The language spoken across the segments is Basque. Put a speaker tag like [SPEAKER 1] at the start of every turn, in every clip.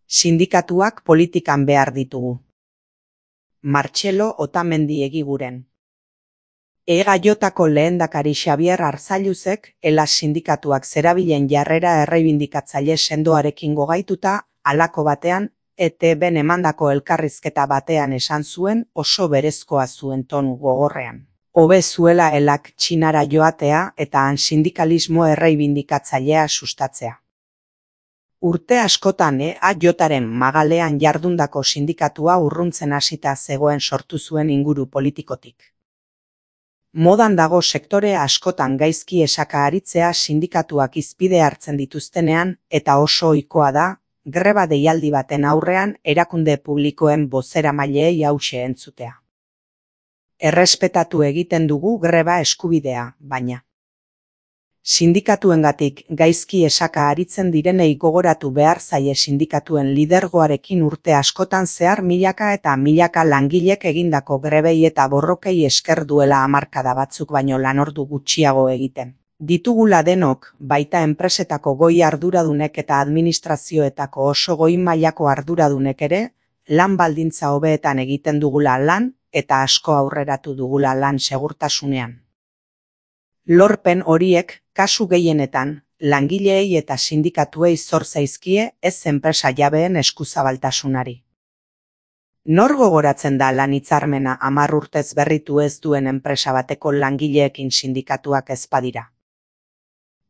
[SPEAKER 1] Sindikatuak politikan behar ditugu. Martxelo Otamendi Egiguren. EGAJko lehendakari Xabier Arzailuzek ELAS sindikatuak zerabilen jarrera erreibindikatzaile sendoarekin gogaituta, halako batean, ETBn emandako elkarrizketa batean esan zuen oso berezkoa zuen tonu gogorrean. Hobe zuela ELAK Txinara joatea eta han sindikalismo erreibindikatzailea sustatzea. Urte askotan EAJren magalean jardundako sindikatua urruntzen hasita zegoen sortu zuen inguru politikotik. Modan dago sektore askotan gaizki esaka aritzea sindikatuak hizpide hartzen dituztenean eta oso ohikoa da, greba deialdi baten aurrean erakunde publikoen bozeramaileei hauxe entzutea. Errespetatu egiten dugu greba eskubidea, baina sindikatuengatik gaizki esaka aritzen direnei gogoratu behar zaie sindikatuen lidergoarekin urte askotan zehar milaka eta milaka langilek egindako grebei eta borrokei esker duela hamarkada batzuk baino lanordu gutxiago egiten. Ditugula denok, baita enpresetako goi arduradunek eta administrazioetako oso goi mailako arduradunek ere, lan baldintza hobeetan egiten dugula lan eta asko aurreratu dugula lan segurtasunean. Lorpen horiek, kasu gehienetan, langileei eta sindikatuei zor zaizkie ez enpresa jabeen eskuzabaltasunari. Nor gogoratzen da lan hitzarmena 10 urtez berritu ez duen enpresa bateko langileekin sindikatuak ez badira?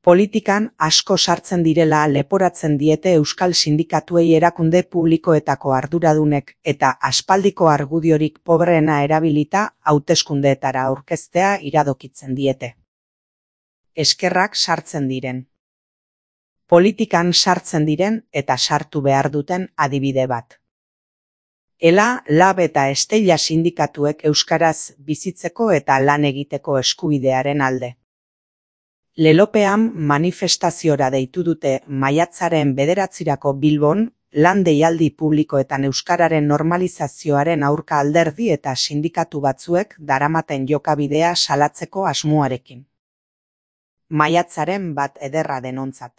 [SPEAKER 1] Politikan asko sartzen direla leporatzen diete euskal sindikatuei erakunde publikoetako arduradunek eta aspaldiko argudiorik pobreena erabilita hauteskundeetara aurkeztea iradokitzen diete. Eskerrak sartzen diren. Politikan sartzen diren eta sartu behar duten adibide bat. ELA, LAB eta Estella sindikatuek euskaraz bizitzeko eta lan egiteko eskubidearen alde. Lelopean manifestaziora deitu dute maiatzaren 9 Bilbon, lan deialdi publikoetan euskararen normalizazioaren aurka alderdi eta sindikatu batzuek daramaten jokabidea salatzeko asmoarekin. Maiatzaren 1 ederra denontzat.